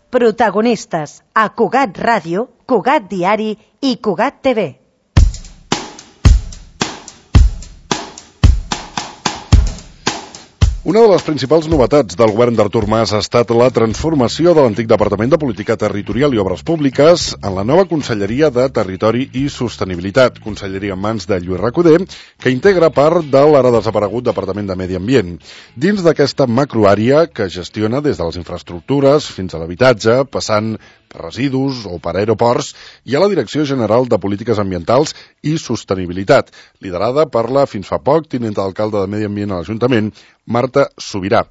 Protagonistes a Cugat Ràdio, Cugat Diari i Cugat TV. Una de les principals novetats del govern d'Artur Mas ha estat la transformació de l'antic Departament de Política Territorial i Obres Públiques en la nova Conselleria de Territori i Sostenibilitat, conselleria en mans de Lluís Recoder, que integra part de l'ara desaparegut Departament de Medi Ambient. Dins d'aquesta macroàrea que gestiona des de les infraestructures fins a l'habitatge, passant per residus o per aeroports, hi ha la Direcció General de Polítiques Ambientals i Sostenibilitat, liderada per la fins fa poc tinenta d'alcalde de Medi Ambient a l'Ajuntament, Marta Subirà.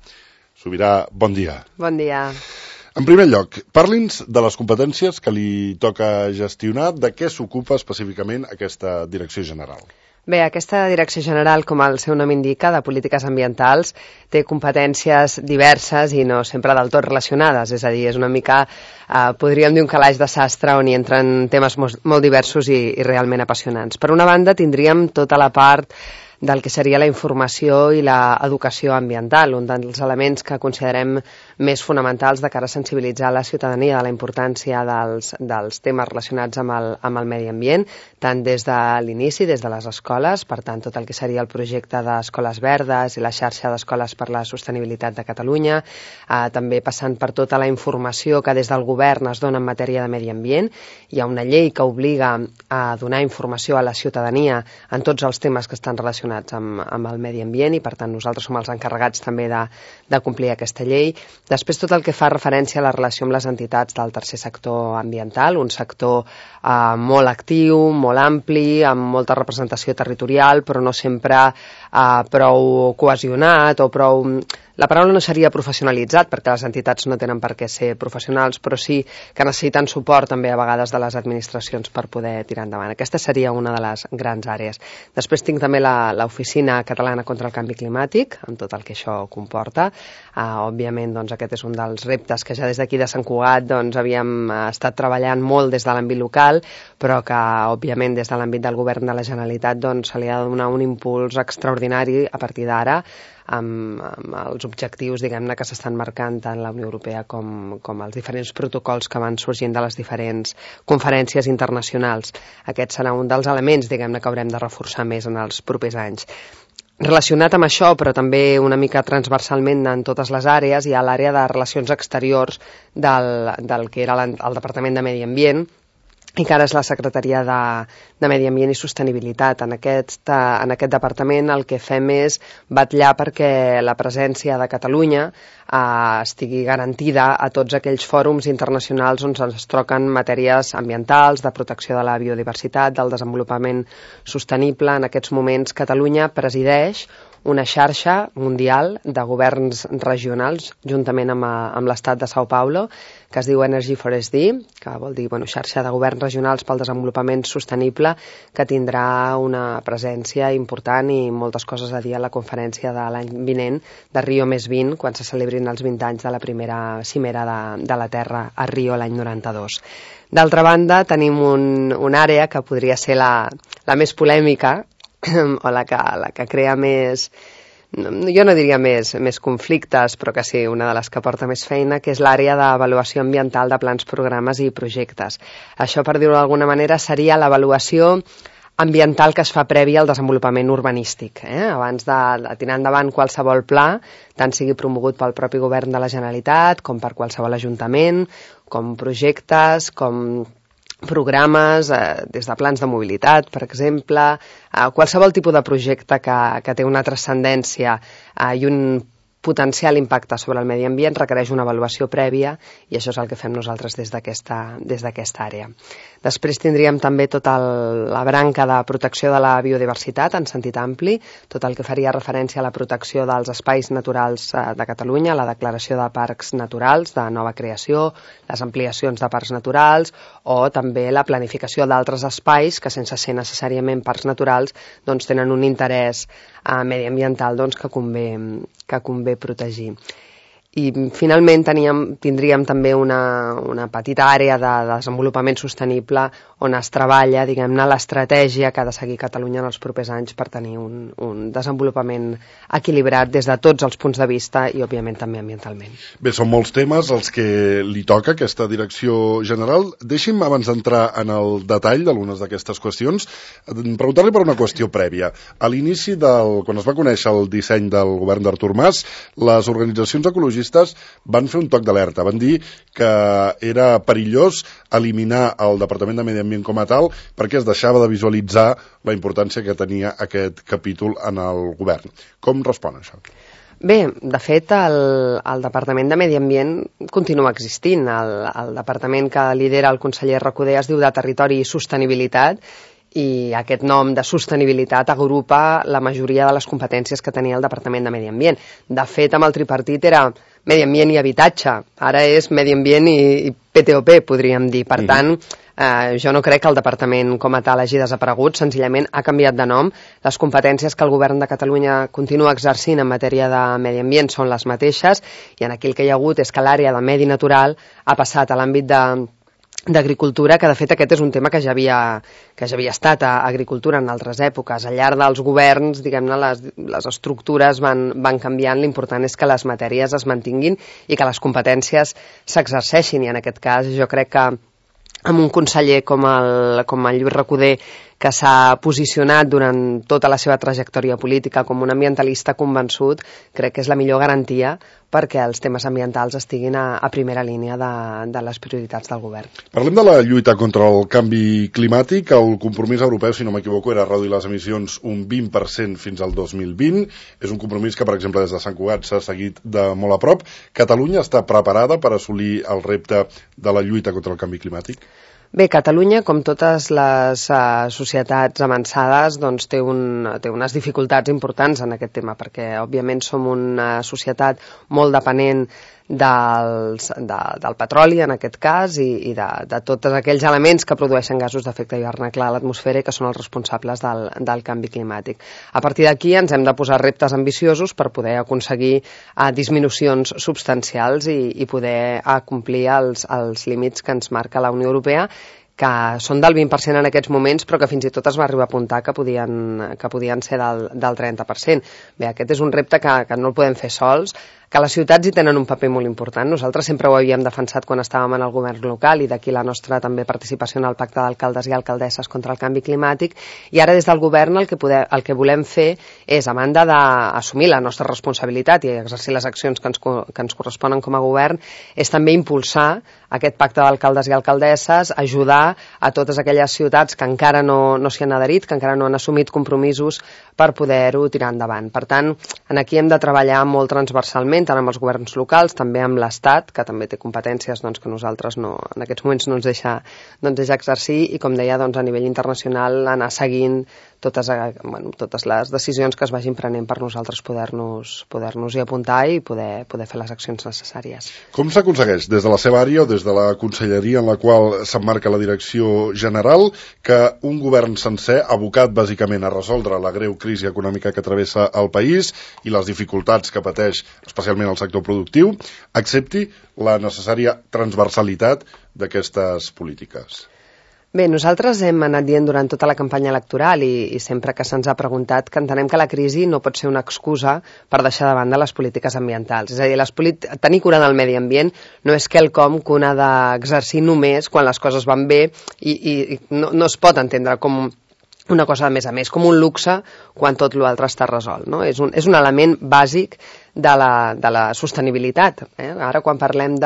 Subirà, bon dia. Bon dia. En primer lloc, parli'ns de les competències que li toca gestionar, de què s'ocupa específicament aquesta Direcció General. Bé, aquesta Direcció General, com el seu nom indica, de polítiques ambientals, té competències diverses i no sempre del tot relacionades, és a dir, és una mica, podríem dir, un calaix de sastre on hi entren temes molt diversos i realment apassionants. Per una banda, tindríem tota la part del que seria la informació i l'educació ambiental, un dels elements que considerem més fonamentals de cara a sensibilitzar la ciutadania de la importància dels temes relacionats amb el medi ambient, tant des de l'inici, des de les escoles, per tant, tot el que seria el projecte d'Escoles Verdes i la xarxa d'Escoles per la Sostenibilitat de Catalunya, també passant per tota la informació que des del govern es dona en matèria de medi ambient. Hi ha una llei que obliga a donar informació a la ciutadania en tots els temes que estan relacionats amb el medi ambient i, per tant, nosaltres som els encarregats també de complir aquesta llei. Després, tot el que fa referència a la relació amb les entitats del tercer sector ambiental, un sector molt actiu, molt ampli, amb molta representació territorial, però no sempre prou cohesionat o prou... La paraula no seria professionalitzat, perquè les entitats no tenen per què ser professionals, però sí que necessiten suport també a vegades de les administracions per poder tirar endavant. Aquesta seria una de les grans àrees. Després tinc també l'Oficina Catalana contra el Canvi Climàtic, amb tot el que això comporta. Òbviament, doncs, aquest és un dels reptes que ja des d'aquí de Sant Cugat havíem estat treballant molt des de l'àmbit local, però que, òbviament, des de l'àmbit del govern de la Generalitat se li ha de donar un impuls extraordinari a partir d'ara, amb els objectius, diguem-ne, que s'estan marcant tant la Unió Europea com els diferents protocols que van sorgint de les diferents conferències internacionals. Aquest serà un dels elements, diguem-ne, que haurem de reforçar més en els propers anys. Relacionat amb això, però també una mica transversalment en totes les àrees, hi ha l'àrea de relacions exteriors del que era el Departament de Medi Ambient, i que ara és la Secretaria de Medi Ambient i Sostenibilitat. En aquest departament el que fem és vetllar perquè la presència de Catalunya estigui garantida a tots aquells fòrums internacionals on es troquen matèries ambientals, de protecció de la biodiversitat, del desenvolupament sostenible. En aquests moments Catalunya presideix una xarxa mundial de governs regionals, juntament amb l'estat de São Paulo, que es diu Energy for SD, que vol dir xarxa de governs regionals pel desenvolupament sostenible, que tindrà una presència important i moltes coses a dir a la conferència de l'any vinent de Rio+20, quan se celebrin els 20 anys de la primera cimera de la Terra a Rio l'any 92. D'altra banda, tenim una àrea que podria ser la més polèmica, o la que crea més, jo no diria més conflictes, però que sí, una de les que porta més feina, que és l'àrea d'avaluació ambiental de plans, programes i projectes. Això, per dir-ho d'alguna manera, seria l'avaluació ambiental que es fa prèvia al desenvolupament urbanístic. Abans de tirar endavant qualsevol pla, tant sigui promogut pel propi govern de la Generalitat, com per qualsevol ajuntament, com projectes, com programes, des de plans de mobilitat, per exemple, qualsevol tipus de projecte que té una transcendència i un potencial impacte sobre el medi ambient requereix una avaluació prèvia i això és el que fem nosaltres des d'aquesta àrea. Després tindríem també tota la branca de protecció de la biodiversitat en sentit ampli, tot el que faria referència a la protecció dels espais naturals de Catalunya, la declaració de parcs naturals de nova creació, les ampliacions de parcs naturals o també la planificació d'altres espais que sense ser necessàriament parcs naturals tenen un interès mediambiental que convé protegir. I finalment tindríem també una petita àrea de desenvolupament sostenible on es treballa, diguem-ne, l'estratègia que ha de seguir Catalunya en els propers anys per tenir un desenvolupament equilibrat des de tots els punts de vista i, òbviament, també ambientalment. Bé, són molts temes els que li toca aquesta direcció general. Deixi'm, abans d'entrar en el detall d'algunes d'aquestes qüestions, preguntar-li per una qüestió prèvia. A l'inici, quan es va conèixer el disseny del govern d'Artur Mas, les organitzacions ecologistes van fer un toc d'alerta, van dir que era perillós eliminar el Departament de Medi Ambient com a tal perquè es deixava de visualitzar la importància que tenia aquest capítol en el govern. Com respon això? Bé, de fet, el Departament de Medi Ambient continua existint. El departament que lidera el conseller Recoder es diu de Territori i Sostenibilitat, i aquest nom de sostenibilitat agrupa la majoria de les competències que tenia el Departament de Medi Ambient. De fet, amb el tripartit era Medi Ambient i Habitatge, ara és Medi Ambient i PTOP, podríem dir. Per tant, jo no crec que el departament com a tal hagi desaparegut, senzillament ha canviat de nom. Les competències que el govern de Catalunya continua exercint en matèria de medi ambient són les mateixes, i en aquí el que hi ha hagut és que l'àrea de medi natural ha passat a l'àmbit d'agricultura, que de fet aquest és un tema que ja havia estat a agricultura en altres èpoques. Al llarg dels governs, diguem-ne, les estructures van canviant, l'important és que les matèries es mantinguin i que les competències s'exerceixin, i en aquest cas jo crec que amb un conseller com el Lluís Recoder, que s'ha posicionat durant tota la seva trajectòria política com un ambientalista convençut, crec que és la millor garantia perquè els temes ambientals estiguin a primera línia de les prioritats del govern. Parlem de la lluita contra el canvi climàtic. El compromís europeu, si no m'equivoco, era reduir les emissions un 20% fins al 2020. És un compromís que, per exemple, des de Sant Cugat s'ha seguit de molt a prop. Catalunya està preparada per assolir el repte de la lluita contra el canvi climàtic? Bé, Catalunya, com totes les societats avançades, doncs té unes dificultats importants en aquest tema, perquè, òbviament, som una societat molt depenent del petroli, en aquest cas, i de tots aquells elements que produeixen gasos d'efecte hivernacle a l'atmosfera i que són els responsables del canvi climàtic. A partir d'aquí ens hem de posar reptes ambiciosos per poder aconseguir disminucions substancials i poder complir els límits que ens marca la Unió Europea, que són del 20% en aquests moments, però que fins i tot es va arribar a apuntar que podien ser del 30%. Bé, aquest és un repte que no el podem fer sols, que les ciutats hi tenen un paper molt important. Nosaltres sempre ho havíem defensat quan estàvem en el govern local, i d'aquí la nostra també participació en el pacte d'alcaldes i alcaldesses contra el canvi climàtic, i ara des del govern el que volem fer és, a banda d'assumir la nostra responsabilitat i exercir les accions que ens corresponen com a govern, és també impulsar aquest pacte d'alcaldes i alcaldesses, ajudar a totes aquelles ciutats que encara no s'hi han adherit, que encara no han assumit compromisos per poder-ho tirar endavant. Per tant, aquí hem de treballar molt transversalment, tant amb els governs locals, també amb l'Estat, que també té competències que nosaltres en aquests moments no ens deixa exercir, i, com deia, a nivell internacional anar seguint totes les decisions que es vagin prenent per nosaltres poder-nos-hi apuntar i poder fer les accions necessàries. Com s'aconsegueix des de la seva àrea o des de la conselleria en la qual s'emmarca la direcció general que un govern sencer, abocat bàsicament a resoldre la greu crisi econòmica que travessa el país i les dificultats que pateix especialment el sector productiu, accepti la necessària transversalitat d'aquestes polítiques? Bé, nosaltres hem anat dient durant tota la campanya electoral i sempre que se'ns ha preguntat que entenem que la crisi no pot ser una excusa per deixar de banda les polítiques ambientals. És a dir, tenir cura del medi ambient no és quelcom que un ha d'exercir només quan les coses van bé i no es pot entendre com una cosa a més, com un luxe quan tot l'altre està resolt, no? És un element bàsic de la sostenibilitat. Ara, quan parlem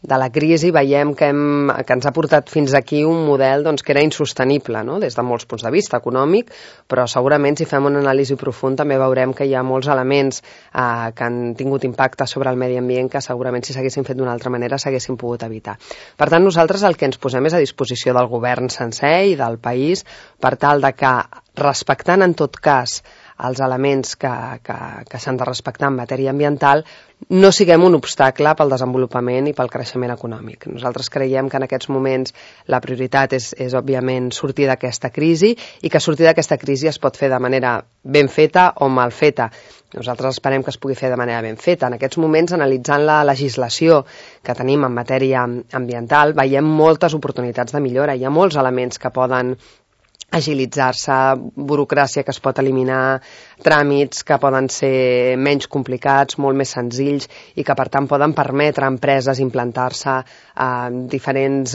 de la crisi, veiem que ens ha portat fins aquí un model que era insostenible, no? Des de molts punts de vista econòmic, però segurament si fem una anàlisi profunda també veurem que hi ha molts elements que han tingut impacte sobre el medi ambient que segurament si s'haguessin fet d'una altra manera s'haguessin pogut evitar. Per tant, nosaltres el que ens posem és a disposició del govern sencer i del país per tal de que, respectant en tot cas els elements que s'han de respectar en matèria ambiental, no siguem un obstacle pel desenvolupament i pel creixement econòmic. Nosaltres creiem que en aquests moments la prioritat és òbviament sortir d'aquesta crisi i que sortir d'aquesta crisi es pot fer de manera ben feta o mal feta. Nosaltres esperem que es pugui fer de manera ben feta. En aquests moments, analitzant la legislació que tenim en matèria ambiental, veiem moltes oportunitats de millora. Hi ha molts elements que poden agilitzar-se, burocràcia que es pot eliminar, tràmits que poden ser menys complicats, molt més senzills i que per tant poden permetre a empreses implantar-se diferents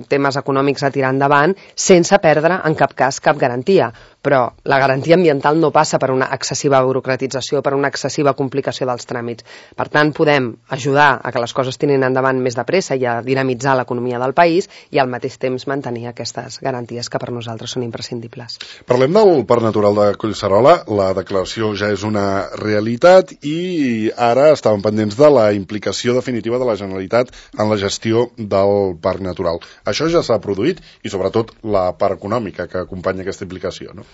temes econòmics a tirar endavant sense perdre en cap cas cap garantia. Però la garantia ambiental no passa per una excessiva burocratització, per una excessiva complicació dels tràmits. Per tant, podem ajudar a que les coses tirin endavant més de pressa i a dinamitzar l'economia del país i al mateix temps mantenir aquestes garanties que per nosaltres són imprescindibles. Parlem del Parc Natural de Collserola. La declaració ja és una realitat i ara estàvem pendents de la implicació definitiva de la Generalitat en la gestió del Parc Natural. Això ja s'ha produït i sobretot la part econòmica que acompanya aquesta implicació, no?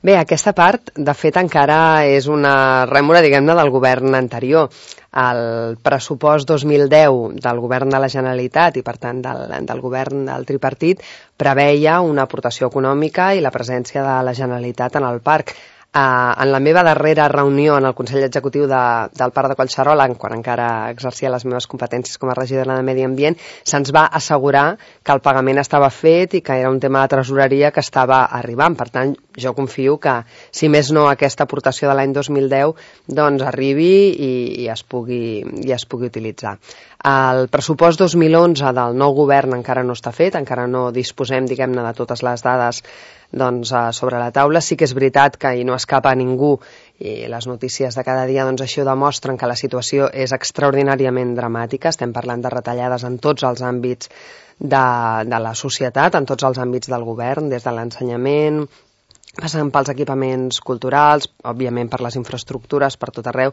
Bé, aquesta part, de fet, encara és una rèmora, diguem-ne, del govern anterior. El pressupost 2010 del govern de la Generalitat i, per tant, del govern del tripartit preveia una aportació econòmica i la presència de la Generalitat en el parc. En la meva darrera reunió en el Consell Executiu del Parc de Collserola, quan encara exercia les meves competències com a regidora de Medi Ambient, se'ns va assegurar que el pagament estava fet i que era un tema de tresoreria que estava arribant. Per tant, jo confio que, si més no, aquesta aportació de l'any 2010 doncs arribi i es pugui utilitzar. El pressupost 2011 del nou govern encara no està fet, encara no disposem, diguem-ne, de totes les dades sobre la taula. Sí que és veritat que, i no escapa a ningú, i les notícies de cada dia així ho demostren, que la situació és extraordinàriament dramàtica. Estem parlant de retallades en tots els àmbits de la societat, en tots els àmbits del govern, des de l'ensenyament, passant pels equipaments culturals, òbviament per les infraestructures, per tot arreu.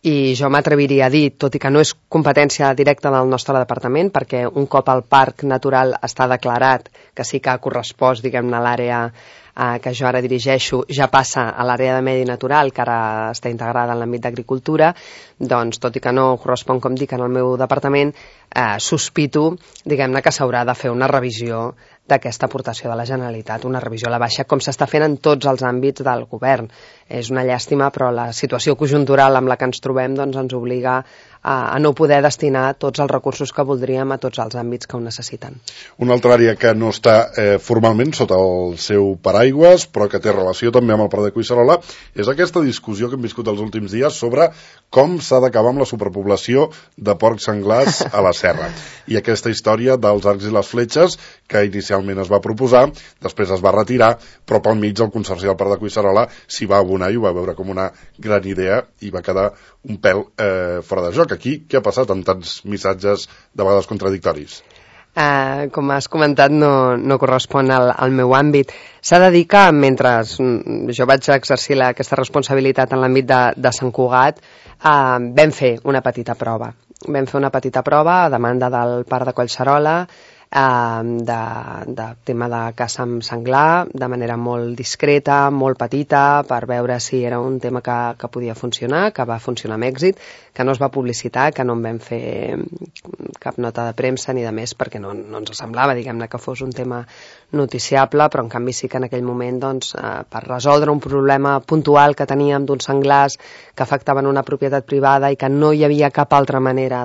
I jo m'atreviria a dir, tot i que no és competència directa del nostre departament, perquè un cop el parc natural està declarat, que sí que ha correspost, diguem-ne, a l'àrea que jo ara dirigeixo, ja passa a l'àrea de medi natural, que ara està integrada en l'àmbit d'agricultura, doncs, tot i que no correspon, com dic, en el meu departament, sospito, diguem-ne, que s'haurà de fer una revisió d'aquesta aportació de la Generalitat, una revisió a la baixa, com s'està fent en tots els àmbits del govern. És una llàstima, però la situació conjuntural amb la que ens trobem doncs, ens obliga a no poder destinar tots els recursos que voldríem a tots els àmbits que ho necessiten. Una altra àrea que no està formalment sota el seu paraigües, però que té relació també amb el Parc de Collserola, és aquesta discussió que hem viscut els últims dies sobre com s'ha d'acabar amb la superpoblació de porcs senglars a la serra. I aquesta història dels arcs i les fletxes, que inicialment es va proposar, després es va retirar, però pel mig el Consorci del Parc de Collserola s'hi va abonar i ho va veure com una gran idea i va quedar un pèl fora de joc. Aquí, què ha passat amb tants missatges de vegades contradictoris? Com has comentat, no correspon al meu àmbit. S'ha de dir que mentre jo vaig exercir aquesta responsabilitat en l'àmbit de Sant Cugat, vam fer una petita prova. Vam fer una petita prova a demanda del Parc de Collserola, de tema de caça amb senglar, de manera molt discreta, molt petita, per veure si era un tema que podia funcionar, que va funcionar amb èxit, que no es va publicitar, que no en vam fer cap nota de premsa ni de més, perquè no ens semblava, diguem-ne, que fos un tema noticiable, però en canvi sí que en aquell moment, doncs, per resoldre un problema puntual que teníem d'uns senglars que afectaven una propietat privada i que no hi havia cap altra manera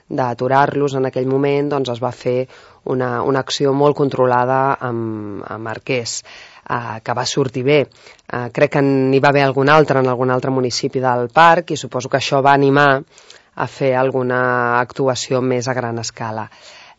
d'aturar-los en aquell moment, doncs es va fer una acció molt controlada amb arquers, que va sortir bé. Crec que n'hi va haver algun altre en algun altre municipi del parc i suposo que això va animar a fer alguna actuació més a gran escala.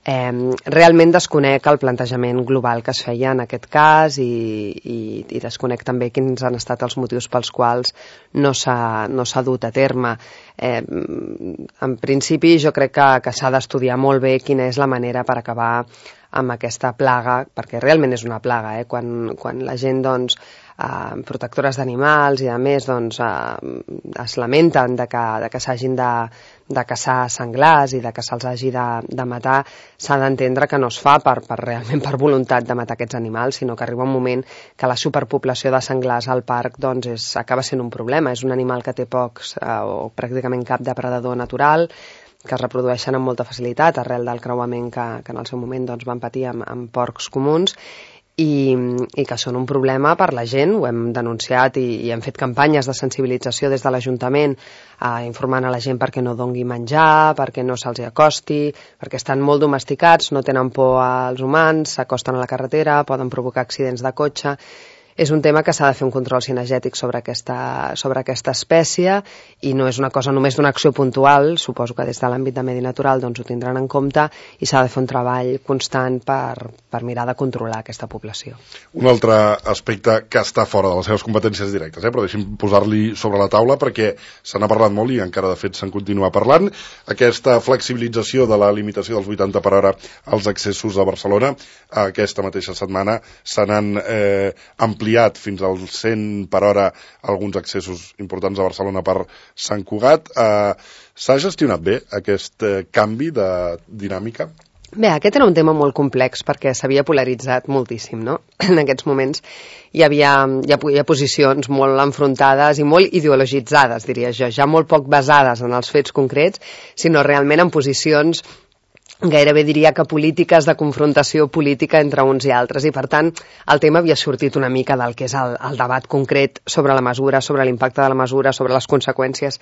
Realment desconec el plantejament global que es feia en aquest cas i desconec també quins han estat els motius pels quals no s'ha dut a terme. En principi jo crec que s'ha d'estudiar molt bé quina és la manera per acabar amb aquesta plaga, perquè realment és una plaga, quan la gent doncs protectores d'animals i a més es lamenten de que s'hagin caçar senglars i de que se'ls hagi de matar, s'ha d'entendre que no es fa realment per voluntat de matar aquests animals, sinó que arriba un moment que la superpoblació de senglars al parc doncs acaba sent un problema. És un animal que té pocs o pràcticament cap depredador natural, que es reprodueixen amb molta facilitat arrel del creuament que en el seu moment doncs, van patir amb porcs comuns, i que són un problema per la gent. Ho hem denunciat i hem fet campanyes de sensibilització des de l'Ajuntament informant a la gent perquè no dongui menjar, perquè no se'ls acosti, perquè estan molt domesticats, no tenen por als humans, s'acosten a la carretera, poden provocar accidents de cotxe. És un tema que s'ha de fer un control cinegètic sobre aquesta espècie i no és una cosa només d'una acció puntual. Suposo que des de l'àmbit de medi natural doncs, ho tindran en compte i s'ha de fer un treball constant per mirar de controlar aquesta població. Un altre aspecte que està fora de les seves competències directes, però deixi'm posar-li sobre la taula perquè se n'ha parlat molt i encara de fet se'n continua parlant. Aquesta flexibilització de la limitació dels 80 per hora als accessos a Barcelona, aquesta mateixa setmana se n'han ampliat fins als 100 per hora alguns accessos importants a Barcelona per Sant Cugat. S'ha gestionat bé aquest canvi de dinàmica? Bé, aquest era un tema molt complex perquè s'havia polaritzat moltíssim, no? En aquests moments hi havia posicions molt enfrontades i molt ideologitzades, diria jo, ja molt poc basades en els fets concrets, sinó realment en posicions gairebé diria que polítiques de confrontació política entre uns i altres, i per tant el tema havia sortit una mica del que és el debat concret sobre la mesura, sobre l'impacte de la mesura, sobre les conseqüències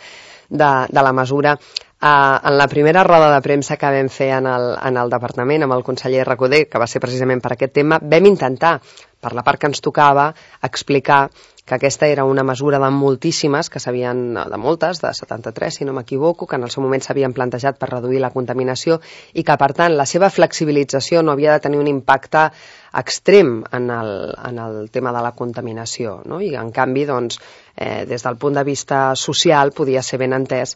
de la mesura. En la primera roda de premsa que vam fer en el departament amb el conseller Recoder, que va ser precisament per aquest tema, vam intentar, per la part que ens tocava, explicar que aquesta era una mesura de moltíssimes, de moltes, de 73, si no m'equivoco, que en el seu moment s'havien plantejat per reduir la contaminació i que, per tant, la seva flexibilització no havia de tenir un impacte extrem en el tema de la contaminació, no? I, en canvi, doncs, des del punt de vista social, podia ser ben entès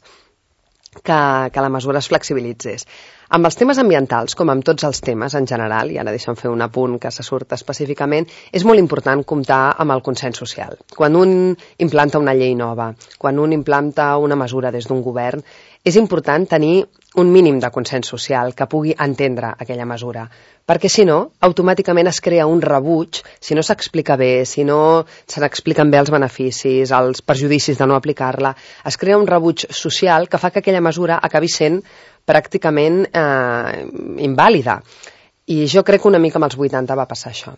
que la mesura es flexibilitzés. Amb els temes ambientals, com amb tots els temes en general, i ara deixa'm fer un apunt que se surt específicament, és molt important comptar amb el consens social. Quan un implanta una llei nova, quan un implanta una mesura des d'un govern, és important tenir un mínim de consens social que pugui entendre aquella mesura, perquè si no, automàticament es crea un rebuig, si no s'explica bé, si no se n'expliquen bé els beneficis, els perjudicis de no aplicar-la, es crea un rebuig social que fa que aquella mesura acabi sent pràcticament invàlida. I jo crec que una mica amb els 80 va passar això.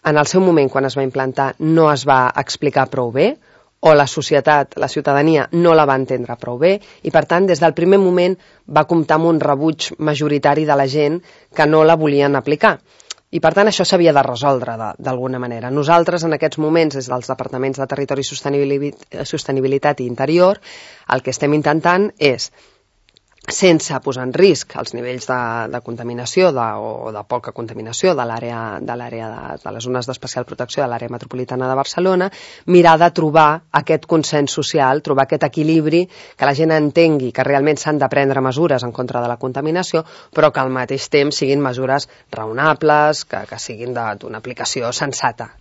En el seu moment, quan es va implantar, no es va explicar prou bé, o la societat, la ciutadania, no la va entendre prou bé, i per tant, des del primer moment va comptar amb un rebuig majoritari de la gent que no la volien aplicar. I per tant, això s'havia de resoldre d'alguna manera. Nosaltres, en aquests moments, des dels departaments de Territori i Sostenibilitat i Interior, el que estem intentant és, sense posar en risc els nivells de contaminació o de poca contaminació de les zones d'especial protecció de l'àrea metropolitana de Barcelona, mirar de trobar aquest consens social, trobar aquest equilibri, que la gent entengui que realment s'han de prendre mesures en contra de la contaminació, però que al mateix temps siguin mesures raonables, que siguin d'una aplicació sensata.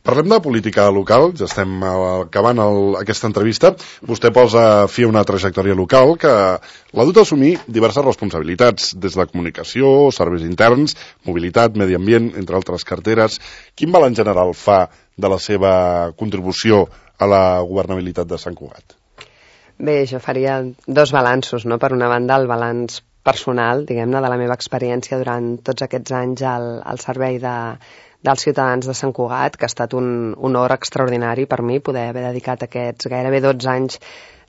Parlem de política local, ja estem acabant aquesta entrevista. Vostè posa fi a una trajectòria local que l'ha dut a assumir diverses responsabilitats, des de comunicació, serveis interns, mobilitat, medi ambient, entre altres carteres. Quin balanç general fa de la seva contribució a la governabilitat de Sant Cugat? Bé, jo faria dos balanços, no? Per una banda, el balanç personal, diguem-ne, de la meva experiència durant tots aquests anys al servei dels ciutadans de Sant Cugat, que ha estat un honor extraordinari per mi poder haver dedicat aquests gairebé 12 anys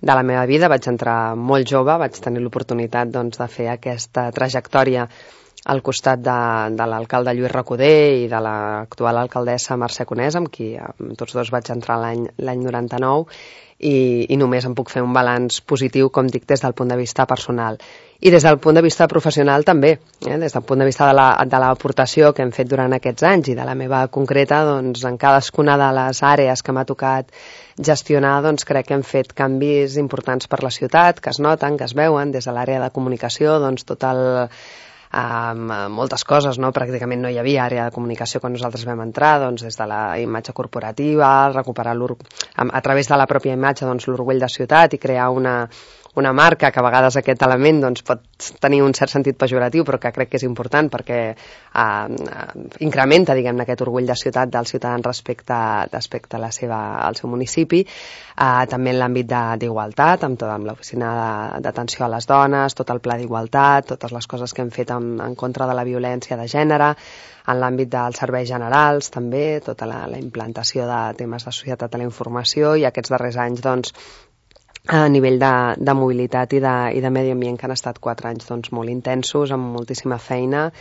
de la meva vida. Vaig entrar molt jove, vaig tenir l'oportunitat de fer aquesta trajectòria al costat de l'alcalde Lluís Recoder i de l'actual alcaldessa Mercè Conés, amb qui tots dos vaig entrar l'any 99, i només em puc fer un balanç positiu, com dic, des del punt de vista personal. I des del punt de vista professional també, des del punt de vista de l'aportació que hem fet durant aquests anys i de la meva concreta, en cadascuna de les àrees que m'ha tocat gestionar, crec que hem fet canvis importants per la ciutat, que es noten, que es veuen, des de l'àrea de comunicació, tot el moltes coses, no? Pràcticament no hi havia àrea de comunicació quan nosaltres vam entrar, des de la imatge corporativa, recuperar a través de la pròpia imatge l'orgull de ciutat i crear una una marca, que a vegades aquest element doncs, pot tenir un cert sentit pejoratiu, però que crec que és important perquè incrementa, diguem-ne, aquest orgull de ciutat dels ciutadans respecte al seu municipi. També en l'àmbit d'igualtat, amb l'oficina d'atenció a les dones, tot el pla d'igualtat, totes les coses que hem fet en contra de la violència de gènere, en l'àmbit dels serveis generals també, tota la implantació de temes de societat de la informació, i aquests darrers anys doncs, a nivell de mobilitat i de medi ambient, que han estat 4 anys doncs, molt intensos, amb moltíssima feina,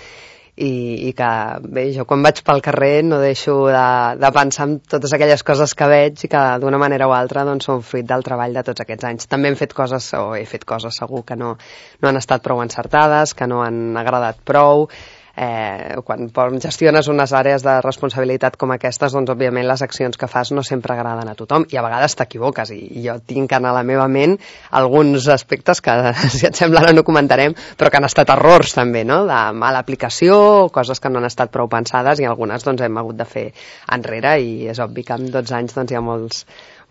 i que bé, jo quan vaig pel carrer no deixo de pensar en totes aquelles coses que veig i que d'una manera o altra doncs, són fruit del treball de tots aquests anys. També he fet coses segur que no han estat prou encertades, que no han agradat prou. Quan gestiones unes àrees de responsabilitat com aquestes, doncs òbviament les accions que fas no sempre agraden a tothom i a vegades t'equivoques, i jo tinc en la meva ment alguns aspectes que, si et sembla, ara no comentarem, però que han estat errors també, no? De mala aplicació, coses que no han estat prou pensades, i algunes doncs hem hagut de fer enrere, i és obvi que en 12 anys doncs, hi ha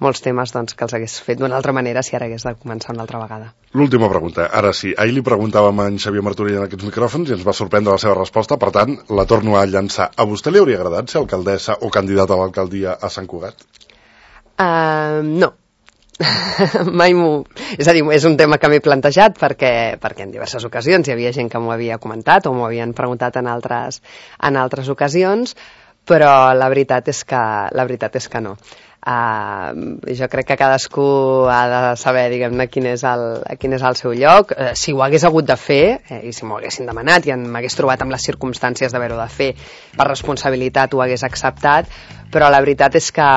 molts temes doncs, que els hagués fet d'una altra manera si ara hagués de començar una altra vegada. L'última pregunta, ara sí. Ahir li preguntàvem a en Xavier Martorell en aquests micròfons i ens va sorprendre la seva resposta, per tant, la torno a llançar. A vostè li hauria agradat ser alcaldessa o candidata a l'alcaldia a Sant Cugat? No. Mai és a dir, és un tema que m'he plantejat perquè en diverses ocasions hi havia gent que m'ho havia comentat o m'ho havien preguntat en altres ocasions, però la veritat és que no. Jo crec que cadascú ha de saber, diguem-ne, quin és el seu lloc. Si ho hagués hagut de fer, i si m'ho haguessin demanat i m'hagués trobat amb les circumstàncies d'haver-ho de fer per responsabilitat, ho hagués acceptat, però la veritat és que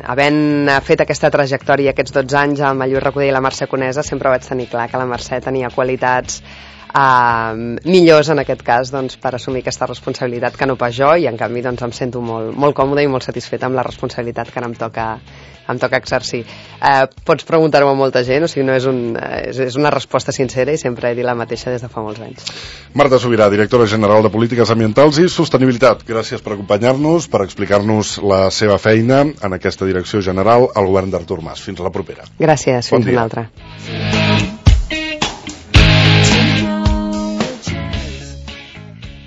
havent fet aquesta trajectòria aquests 12 anys amb el Lluís Recoder i la Mercè Conesa, sempre vaig tenir clar que la Mercè tenia qualitats millors en aquest cas doncs, per assumir aquesta responsabilitat que no pas jo, i en canvi doncs, em sento molt còmoda i molt satisfeta amb la responsabilitat que ara em toca exercir. Pots preguntar-ho a molta gent, o sigui, no és una resposta sincera i sempre he dit la mateixa des de fa molts anys. Marta Subirà, directora general de Polítiques Ambientals i Sostenibilitat, gràcies per acompanyar-nos, per explicar-nos la seva feina en aquesta direcció general al govern d'Artur Mas. Fins a la propera. Gràcies, fins una altra.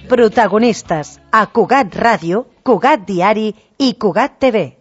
Protagonistes a Cugat Ràdio, Cugat Diari i Cugat TV.